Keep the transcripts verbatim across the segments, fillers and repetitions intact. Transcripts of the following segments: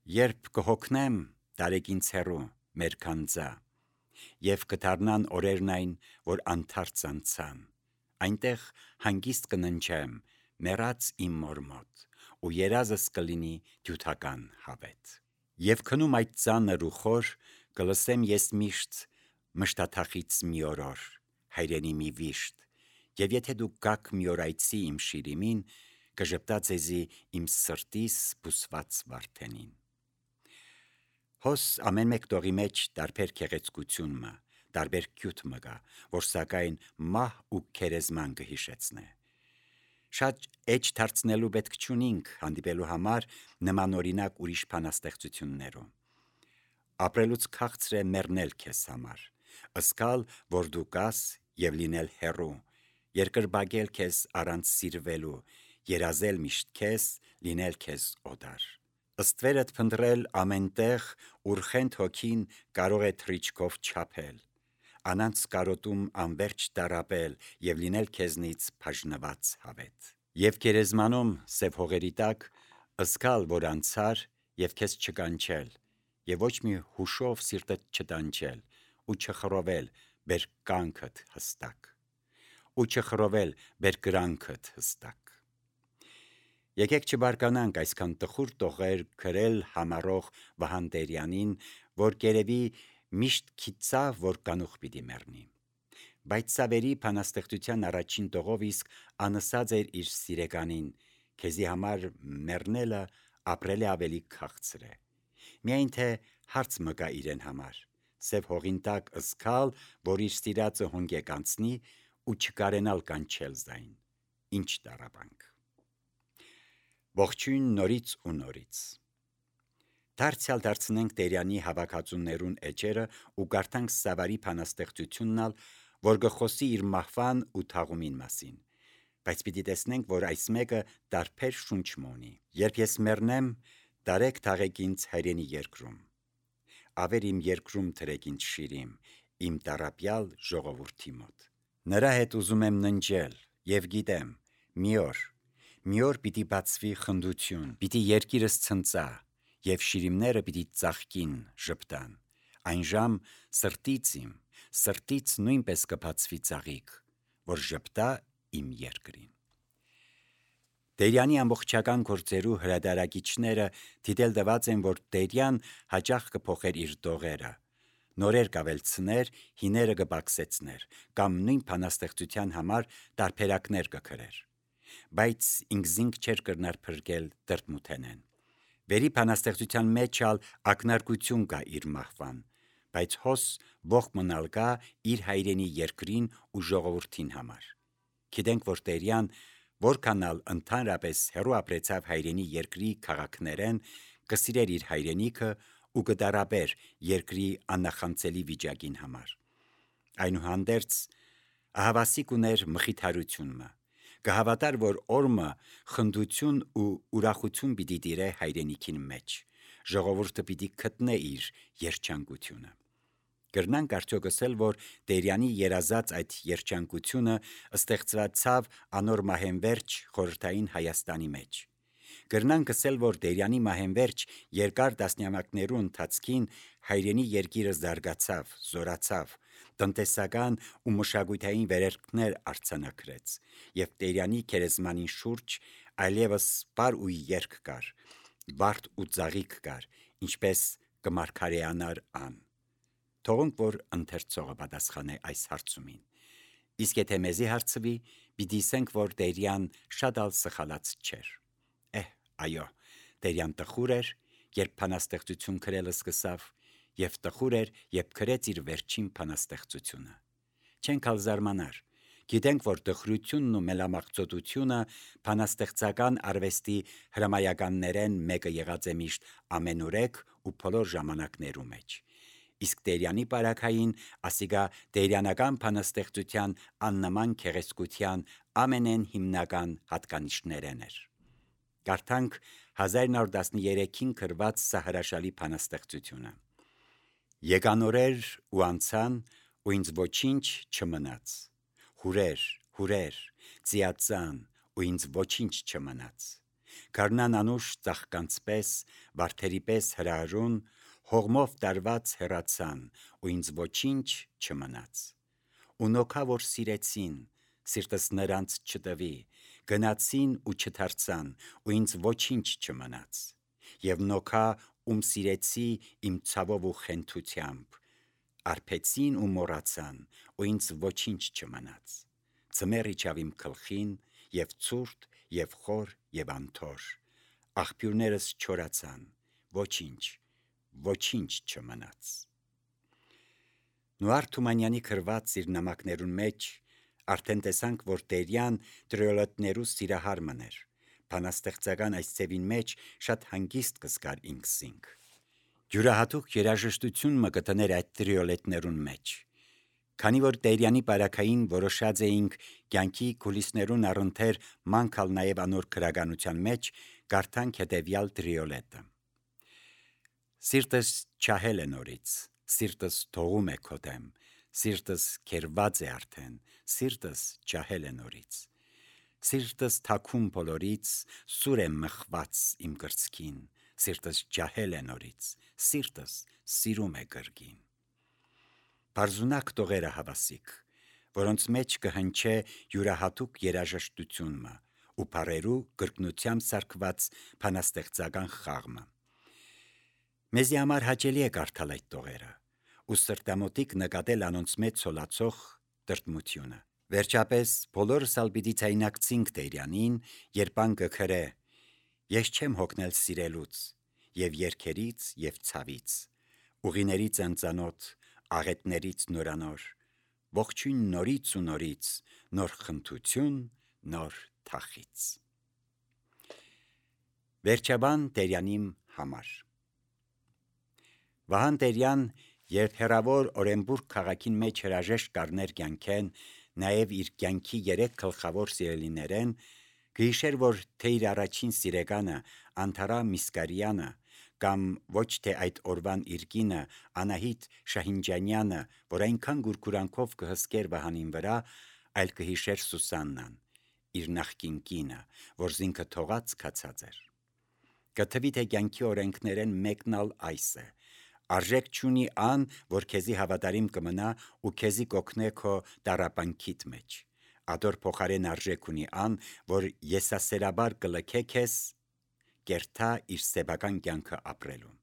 Երբ կհոգնեմ, տարեք ինձ հեռու, մեր քանձա, և կդառնան օրերն այն, որ անթարց անցան, այնտեղ հանգիստ կննջեմ, մեռած իմ մոր մոտ, ու երազս կլինի դյութական հավետ։ Եվ քնում այդ ծանր ու խոր, կլսեմ ես միշտ մշտաթախից մի օրոր, հայրենի մի վիշտ, և եթե դուք գաք մի օր այցի իմ շիրիմին, կժպտա ձեզի իմ սրտիս բուսված վարդենին։ Հոս ամեն մեկ տողի մեջ տարբեր քեղեցկություն մը, տարբեր քյութ մը գա, որ սակայն մահ ու քերեզման կհիշեցնե։ Շատ էջ դարձնելու պետք չունինք հանդիպելու համար նմանօրինակ ուրիշ բանաստեղծություններում։ Ապրելուց քաղցր է մեռնել քեզ համար, ըսկալ, որ դու կաս և լինել հեռու, երկրպագել քեզ առանց սիրվելու, երազել միշտ քեզ, լինել քեզ օդար։ Ստվերդ փնտրել ամենտեղ, ուր խենթ հոգին կարող է թռիչքով չափել, անանց կարոտում անվերջ տառապել և լինել քեզնից բաժնված հավետ։ Եվ գերեզմանում սև հողերի տակ, ըսկալ, որ անցար և քեզ չկանչել, և ոչ մի հուշով սիրտդ չտանջել, ու չխռովել բերկրանքդ հստակ, ու չխռովել բերկրանքդ հստակ։ Եկեք չբարկանանք այսքան տխուր տողեր գրել համառող Վահան Տերյանին, որ կերևի միշտ գիտավ, որ կանուխ պիտի մեռնի։ Բայց սա վերի բանաստեղծության առաջին տողով իսկ անըսած էր իր սիրեկանին, քեզի համար մեռնելը ապրել է ավելի քաղցր է։ Միայն թե հարց մը կա իրեն համար, սև հողին տակ ըսկալ, որ իր սիրածը հոնգեկ անցնի ու չկարենալ կանչել զայն, ինչ տառապանք։ Ողջույն նորից ու նորից։ Դարձյալ դարձնենք Տերյանի հավաքածուներուն էջերը ու կարդանք Սավարի բանաստեղծություննալ, որ գխոսի իր մահվան ու թաղումին մասին, բայց պիտի տեսնենք, որ այս մեկը տարբեր շունչ մոնի։ Երբ ես մեռնեմ, տարեք թաղեք ինձ հայրենի երկրում, ավեր իմ երկրում թրեք ինձ շիրիմ, իմ տառապյալ ժողովրդի մոտ։ Նրա հետ ուզում եմ ննջել, և գիտեմ, մի օր, մի օր պիտի բացվի խնդություն, պիտի երկիրս ցնծա, և շիրիմները պիտի ծաղկին, ժպտան, այն ժամ սրտից իմ, սրտից նույնպես կբացվի ծաղիկ, որ ժպտա իմ երկրին։ Տերյանի ամբողջական գործերու հրատարակիչները դիտել տված են, որ Տերյան հաճախ կփոխեր իր տողերը, նորեր կավելցներ, հիները կպակսեցներ, կամ նույն բանաստեղծության համար տարբերակներ կգրեր, բայց ինքզինք չէր կրնար փրկել տրտմութենեն։ Վերի բանաստեղծության մեջ ալ ակնարկություն կա իր մահվան, բայց հոս ողջ մնալ կա իր հայրենի երկրին ու ժողովրդին համար։ Գիտենք, որ Տերյան որքանալ ընդհանրապես հեռու ապրեցավ հայրենի երկրի քաղաքներեն, կսիրեր իր հայրենիքը ու կտառապեր երկրի աննախանցելի վիճակին համար։ Այնուհանդերձ ահավասիկ ուներ մխիթարություն մը, կհավատար, որ օրմը խնդություն ու ուրախություն պիտի տիրե հայրենիքին մեջ, ժողովուրդը պիտի գտնե իր երջանկությունը։ Կրնանք արդյոք ասել, որ Տերյանի երազած այդ երջանկությունը ստեղծվեցավ անոր մահենվերջ խորհրդային Հայաստանի մեջ։ Կրնանք ասել, որ Տերյանի մահենվերջ երկար տասնամյակներու ընթացքին հայրենի երկիրը զարգացավ, զորացավ, տնտեսական ու մշակութային վերելքներ արձանագրեց, և Տերյանի քերեզմանին շուրջ այլևս պար ու երկ կար, վարդ ու ծաղիկ կար, ինչպես կմարգարեանար ան։ Թողunk, որ ընթերցողը պատասխանե այս հարցումին, իսկ եթե մեզի հարցվի, պիտի ասենք, որ Տերյան շատ ալ սխալած չէր։ Էհ, այո, Տերյան տխուր էր, երբ բանաստեղծություն գրել սկսավ, և տխուր էր, երբ գրեց իր վերջին բանաստեղծությունը։ Չենք ալ զարմանար, գիտենք, որ տխրությունն ու մելամաղձոտությունը բանաստեղծական արվեստի հրամայականներեն մեկը եղած է միշտ ամենուրեք ու բոլոր ժամանակներու մեջ, իսկ Տերյանի պարագային ասիկա տերյանական բանաստեղծության աննման գեղեցկության ամենեն հիմնական հատկանիշներեն էր։ Կարդանք հազար նոր տասներեքին գրված սա հրաշալի բանաստեղծությունը։ Եկան օրեր ու անցան, ու ինձ ոչինչ չմնաց, հուրեր, հուրեր, ծիածան, ու ինձ ոչինչ չմնաց, Գարնան անուշ ծաղկանց պես, վարդերի պես հրարուն, հողմով տարված հեռացան, ու ինձ ոչինչ չմնաց։ Ու նոքա որ սիրեցին, սիրտս նրանց չտվի, գնացին ու չդարձան, ու ինձ ոչինչ չմնաց։ Եվ նոքա ում սիրեցի իմ ցավով ու խենթությամբ, արբեցին ու մոռացան, ու ինձ ոչինչ չմնաց։ Ձմեռ իջավ իմ գլխին, եւ ցուրտ, եւ խոր, եւ անթոր, աղբյուրներս չորացան, ոչինչ, ոչինչ չմնաց։ Նուար Թումանյանի գրված իր նամակներուն մեջ արդեն տեսանք, որ Տերյան տրիոլետներու սիրահար մներ, բանաստեղծական այս ձևին մեջ շատ հանգիստ կզգար ինքսինք։ Յուրահատուկ երաժշտություն մը կտներ այդ տրիոլետներուն մեջ։ Քանի որ Տերյանի բարակային որոշած էինք կյանքի կուլիսներուն առընթեր մանկալ նաև անոր գրականության մեջ, կարդանք հետևյալ տրիոլետը. Սիրտս չահել է նորից, սիրտս թողում է քո դեմ, սիրտս քերված է արդեն, սիրտս չահել է նորից, սիրտս թաքուն բոլորից, սուր է մխված իմ կրծքին, սիրտս ջահել է նորից, սիրտս սիրում է գրգին։ Բարձունակ տողերը հավասիկ, որոնց մեջ կհնչե յուրահատուկ երաժշտությունը ու բարերու կրկնությամբ սարքված բանաստեղծական խաղը։ Մեզի համար հաճելի է կարդալ այդ տողերը ու սրտամոտիկ նկատել անոնց մեջ ցոլացող տրտմությունը։ Վերջապես բոլորս ալ պիտի ցայնակցինք Տերյանին, երբ ան կգրե. Ես չեմ հոգնել սիրելուց, եւ երգերից եւ ցավից, ուղիներից անծանոթ, աղետներից նորանոր, ողջույն նորից ու նորից, նոր խնդություն, նոր թախից։ Վերջաբան Տերյանիմ համար Վահան Տերյան, երբ հերավոր Օրենբուրգ քաղաքին մեջ հրաժեշտ կառներ կյանքեն, նաև իր կյանքի երեք գլխավոր սիրելիներեն, կհիշեր, որ թե իր առաջին սիրեկանը Անթարա Միսկարյանը կամ ոչ թե այդ օրվան իր կինը Անահիտ Շահինջանյանը, որ այնքան գուրգուրանքով կհսկեր Վահանին վրա, այլ կհիշեր Սուսաննան, իր նախկին կինը, որ զինքը թողած կացած էր։ Կթվի թե կյանքի օրենքներեն մեկն ալ այս է. արժեք չունի ան, որ քեզի հավատարիմ կմնա ու քեզի կօգնե քո տառապանքիդ մեջ։ Ադոր փոխարեն արժեք ունի ան, որ եսասերաբար կլքե քեզ, կերթա իր սեբական կյանքը ապրելուն։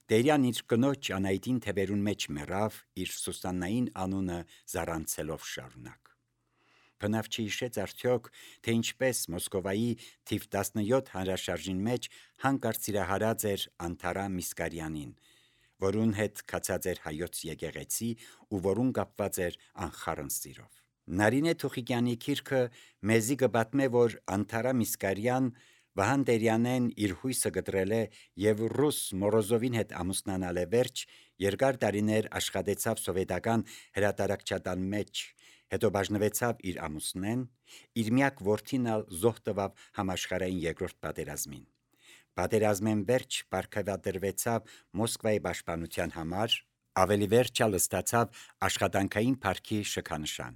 Տերյան իր կնոջ Անահիտին թևերուն մեջ մեռավ, իր Սուսաննային անունը զարանցելով շարունակ։ Բնավ չհիշեց արդյոք, թե ինչպես Մոսկովայի թիվ տասնյոթ հանրաշարժին մեջ հանկարծ սիրահարած էր Անթարա Միսկարյանին, որուն հետ կացած էր հայոց եկեղեցի ու որուն կապված էր անխառն սիրով։ Նարինե Թուխիկյանի գիրքը մեզի կպատմե, որ Անթարա Միսկարյան Վահան Տերյանեն իր հույսը գտրել է եւ ռուս Մորոզովին հետ ամուսնանալ է վերջ, երկար տարիներ աշխատեցավ սովետական հրատարակչատան մեջ, հետո բաժնվեցավ իր ամուսնեն, իր միակ որդին ալ զոհ տվավ համաշխարհային երկրորդ պատերազմին։ Պատերազմեն վերջ պարգևատրվեցավ Մոսկվայի պաշտպանության համար, ավելի վերջ ալ ստացավ աշխատանքային փառքի շքանշան։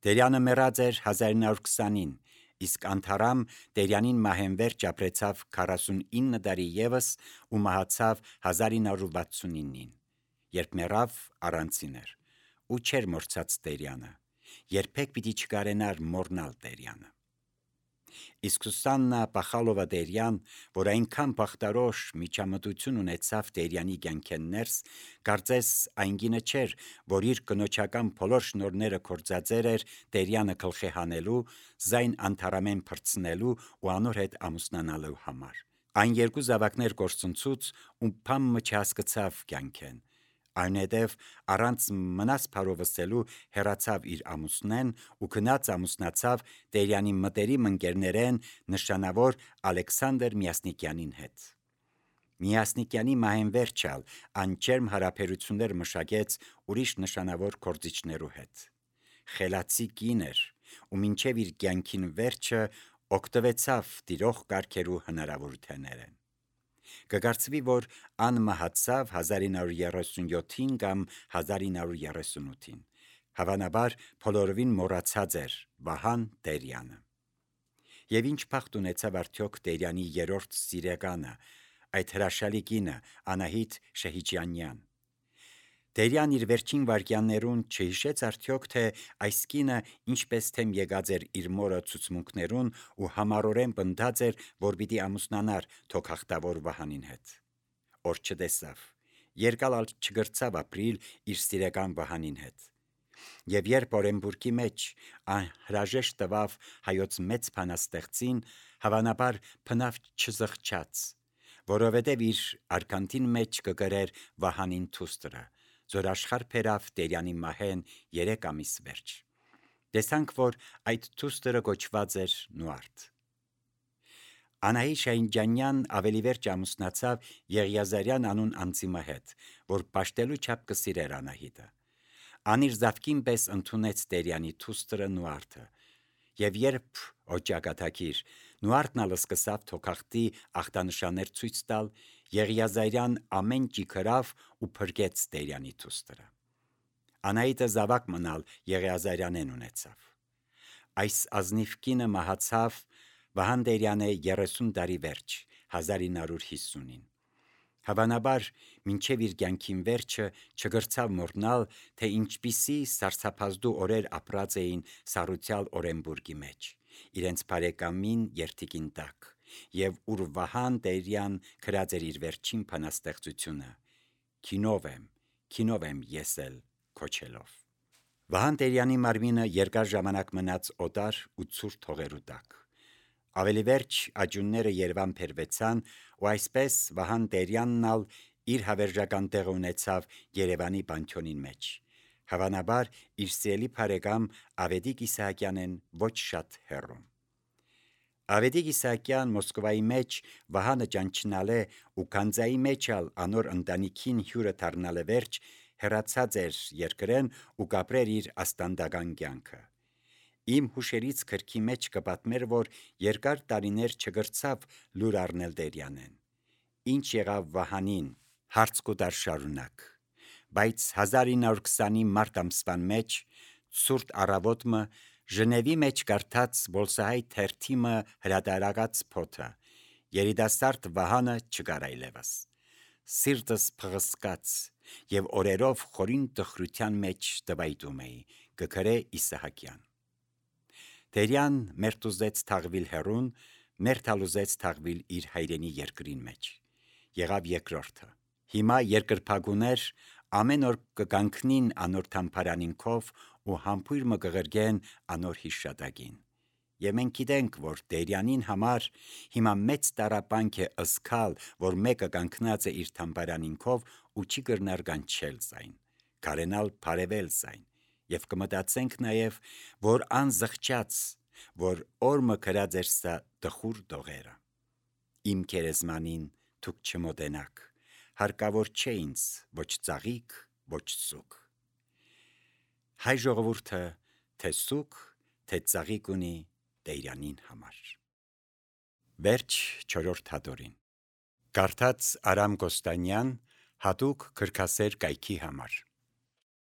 Տերյանը մեռած էր հազար ինը հարյուր քսանին, իսկ Անթարամ Տերյանին մահենվերջ ապրեցավ քառասունինը տարի եւս ու մահացավ հազար ինը հարյուր վաթսունինին, երբ մեռավ առանցին էր ու չէր մորցած Տերյանը, երբեք պիտի չկարենար մոռնալ Տերյանը։ Իսկ Սուսաննա Պախալովա Տերյան, որ այնքան բախտարոշ միջամտություն ունեցավ Տերյանի կյանքեն ներս, կարծես այն գինը չէր, որ իր կնոջական բոլոր շնորհները կործածեր էր Տերյանը գլխի հանելու, զայն Անթարամեն փրցնելու ու անոր հետ ամուսնանալու համար։ Այն երկու զավակներ կորցնցուց ու փամը չհասկացավ կյանքեն, այնուհետև առանց մնաս փարովսելու հեռացավ իր ամուսնեն ու գնաց ամուսնացավ Տերյանի մտերիմ ընկերներեն նշանավոր Ալեքսանդր Միասնիկյանին հետ։ Միասնիկյանի մահենվերջալ անջերմ հարաբերություններ մշակեց ուրիշ նշանավոր գործիչներու հետ։ Խելացի կին էր ու մինչև իր կյանքին վերջը օգտվեցավ տիրող կարգերու հնարավորություններեն։ Կկարծվի, որ ան մահացավ հազար ինը հարյուր երեսունյոթին կամ հազար ինը հարյուր երեսունութին, հավանաբար բոլորովին մոռացած էր Վահան Տերյանը։ Եվ ինչ փախտ ունեցավ արդյոք Տերյանի երրորդ սիրեկանը, այդ հրաշալի կինը Անահիտ Շեհիջյանյան։ Տերյան իր վերջին վայրկյաններուն չհիշեց արդյոք, թե այս կինը ինչպես թեմ եկած էր իր մորը ցուցմունքներուն ու համառորեն պնդած էր, որ պիտի ամուսնանար թոքախտավոր Վահանին հետ։ Օր չտեսավ, երկալ ալ չգրցավ ապրիլ իր սիրեկան Վահանին հետ։ Եվ երբ Օրենբուրգի մեջ անհրաժեշտ տվավ հայոց մեծ փանաստեղծին, հավանաբար փնավ չզղջաց, որովհետև իր արքանտին մեջ կգրեր Վահանին թուստրը, զոր աշխարհ բերավ Տերյանի մահեն երեք ամիս վերջ։ Տեսանք, որ այդ թուստրը կոչված էր Նուարդ։ Անահիտ Շեհիջյանյան ավելի վերջ ամուսնացավ Եղիազարյան անուն անձիմը հետ, որ պաշտելու չափ կսիրեր Անահիտը։ Ան իր զավկին պես ընդունեց Տերյանի թուստրը Նուարդը, եւ երբ օջակաթակիր Նուարդն ալ սկսավ թոքախտի ախտանշաններ ցույց տալ, Եղիազարյան ամեն ճիքրավ ու փրկեց Տերյանի թուստրը։ Անահիտը զավակ մնալ Եղիազարյանեն ունեցավ։ Այս ազնիվ կինը մահացավ Վահան Տերյանը երեսուն տարի վերջ հազար ինը հարյուր հիսունին։ Հավանաբար մինչև իր կյանքին վերջը չգրցավ մոռնալ, թե ինչպիսի սարսափազդու օրեր ապրած էին Սառուցյալ Օրենբուրգի մեջ, իրենց բարեկամին երթիկին տակ, եւ ուր Վահան Տերյան գրած էր իր վերջին բանաստեղծությունը՝ «Քինով եմ, քինով եմ ես էլ» քոչելով։ Վահան Տերյանի մարմինը երկար ժամանակ մնաց օտար ու ցուրտ հողերու տակ։ Ավելի վերջ աջունները Երևան բերվեցան, ու այսպես Վահան Տերյանն ալ իր հավերժական տեղը ունեցավ Երևանի պանթեոնին մեջ, հավանաբար իր սիրելի բարեկամ Ավետիք Իսահակյանեն ոչ շատ հեռու։ Ավետիք Իսահակյան Մոսկվայի մեջ Վահանը ճանչնալե ու Գանձայի մեջ ալ անոր ընտանիքին հյուրը դառնալը վերջ հեռացած էր երկրեն ու կապրեր իր աստանդական կյանքը։ Իմ հուշերից գրքի մեջ կպատմեր, որ երկար տարիներ չգրցավ լուր առնել Տերյանեն։ Ինչ եղավ Վահանին, հարց կուտար շարունակ, բայց հազար ինը հարյուր քսանի մարտ ամսվան մեջ ցուրտ առավոտը Ժնևի մեջ կարդաց Բոլսահայ թերթիմը հրատարակած փոթը, երիտասարդ Վահանը չկար այլևս։ Սիրտս փղսկաց եւ օրերով խորին տխրության մեջ տվայտում էի, կգրե Իսահակյան։ Տերյան մերթուզեց թաղվիլ հեռուն, մերթալուզեց թաղվիլ իր հայրենի երկրին մեջ։ Եղավ երկրորդը։ Հիմա երկրպագուներ ամեն օր կկանգնին անոր թամփարանինքով ու համբույր մը կղրգեն անոր հիշատակին։ Եվ մենք գիտենք, որ Տերյանին համար հիմա մեծ տարապանք է ըսկալ, որ մեկը կանգնած է իր թամփարանինքով ու չի կրնար կանչել զայն, կարենալ բարևել զայն, եւ կմտածենք նաեւ, որ անզղջաց, որ օրը գրած էր սա տխուր դողերը։ Իմ քերեզմանին դուք չմոտենաք, հարկավոր չէ ինձ ոչ ծաղիկ, ոչ սուկ։ Հայ ժողովուրդը թե սուկ, թե ծաղիկ ունի Տերյանին համար։ Վերջ չորրորդ հատորին։ Կարդաց Արամ Կոստանյան, հատուկ գրքասեր կայքի համար։